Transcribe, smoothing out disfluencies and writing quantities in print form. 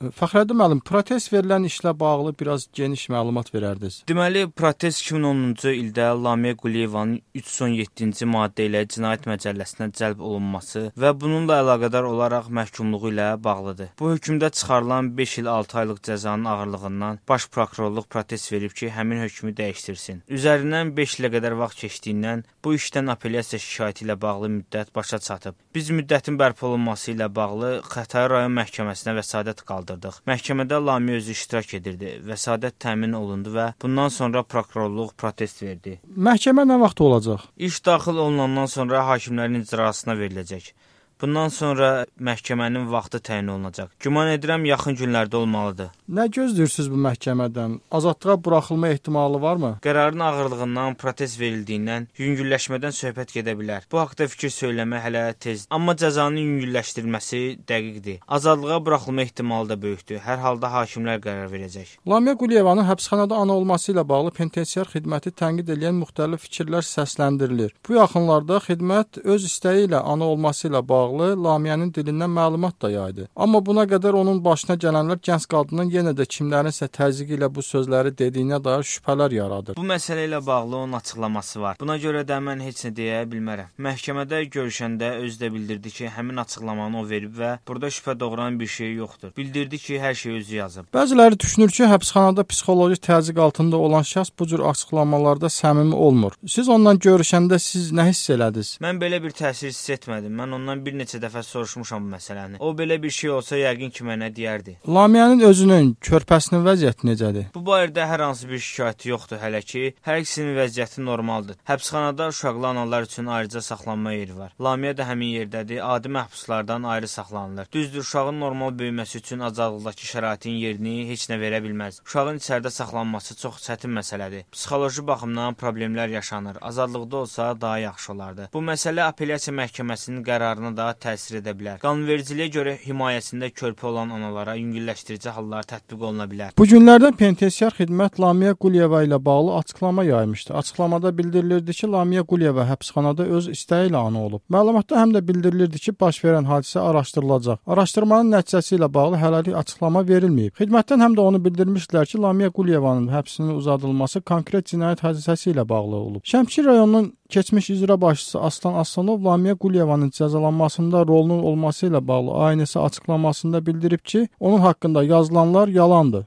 Fəxrəddin müəllim, protest verilən işlə bağlı biraz geniş məlumat verərdiniz. Deməli, protest 2010-cu ildə Lamiyə Quliyevanın 317-ci maddə ilə Cinayət Məcəlləsinə cəlb olunması və bununla əlaqədar olaraq məhkumluğu ilə bağlıdır. Bu hökmdə çıxarılan 5 il 6 aylıq cəzanın ağırlığından Baş Prokurorluq protest verib ki, həmin hökmü dəyişdirsin. Üzərindən 5 ilə qədər vaxt keçdiyindən bu işdən apellyasiya şikayəti ilə bağlı müddət başa çatıb. Biz müddətin bərpa olunması ilə bağlı Xətai rayon məhkəməsinə vəsadət qaldırdıq. Məhkəmədə Lamiyə özü iştirak edirdi. Vəsadət təmin olundu və bundan sonra prokurorluq protest verdi. Məhkəmə nə vaxt olacaq? İş daxil olunandan sonra hakimlərin icrasına veriləcək. Bundan sonra məhkəmənin vaxtı təyin olunacaq. Güman edirəm yaxın günlərdə olmalıdır. Nə gözləyirsiniz bu məhkəmədən? Azadlığa buraxılma ehtimalı varmı? Qərarın ağırlığından, protest verildiyindən yüngülləşmədən söhbət gedə bilər. Bu haqda fikir söyləmək hələ tezdir. Amma cəzanın yüngülləşdirilməsi dəqiqdir. Azadlığa buraxılma ehtimalı da böyükdür. Hər halda hakimlər qərar verəcək. Lamiyə Quliyevanın həbsxanada ana olması ilə bağlı penitensiar xidməti tənqid edən müxtəlif fikirlər səsləndirilir. Bu yaxınlarda xidmət öz istəyi ilə ana olması ilə bağlı Lamiyənin dilindən məlumat da yaydı. Amma buna qədər onun başına gələnlər gənc qadının yenə də kimlərinsə təzyiqi ilə bu sözləri dediyinə dair şübhələr yaradır. Bu məsələ ilə bağlı onun açıqlaması var. Buna görə də mən heç nə deyə bilmərəm. Məhkəmədə görüşəndə özü də bildirdi ki, həmin açıqlamanı o verib və burada şübhə doğuran bir şey yoxdur. Bildirdi ki, hər şey özü yazıb. Bəziləri düşünür ki, həbsxanada psixoloji təzyiq altında olan şəxs bu cür açıqlamalarda səmimi olmur. Siz ondan görüşəndə siz nə hiss elədiniz? Mən belə bir təsir hiss etmədim. Mən ondan bir neçə dəfə soruşmuşam bu məsələni. O belə bir şey olsa yəqin ki, mənə deyərdi. Lamiyənin özünün, körpəsinin vəziyyəti necədir? Bu barədə hər hansı bir şikayəti yoxdur hələ ki. Hər ikisinin vəziyyəti normaldır. Həbsxanada uşaqlı analar üçün ayrıca saxlanma yeri var. Lamiyə də həmin yerdədir. Adi məhbuslardan ayrı saxlanılır. Düzdür, uşağın normal böyüməsi üçün azadlıqdakı şəraitin yerini heç nə verə bilməz. Uşağın içəridə saxlanması çox çətin məsələdir. Psixoloji baxımdan problemlər yaşanır. Azadlıqda olsa daha yaxşı olardı. Bu məsələ apellyasiya məhkəməsinin qərarına da təsir edə bilər. Qanunvericiliyə görə himayəsində körpə olan analara yüngülləşdirici hallar tətbiq oluna bilər. Bu günlərdə penitensiar xidmət Lamiyə Quliyeva ilə bağlı açıqlama yaymışdı. Açıqlamada bildirilirdi ki, Lamiyə Quliyeva həbsxanada öz istəyi ilə ana olub. Məlumatda həm də bildirilirdi ki, baş verən hadisə araşdırılacaq. Araşdırmanın nəticəsi ilə bağlı hələlik açıqlama verilməyib. Xidmətdən həm də onu bildirmişdilər ki, Lamiyə Quliyevanın həbsinin uzadılması konkret cinayət hadisəsi ilə bağlı olub. Şəmkir rayonunun keçmiş icra başçısı Aslan Aslanov Lamiyə Quliyevanın cəzalanmasında rolunun olması ilə bağlı aynısı açıqlamasında bildirib ki, onun haqqında yazılanlar yalandır.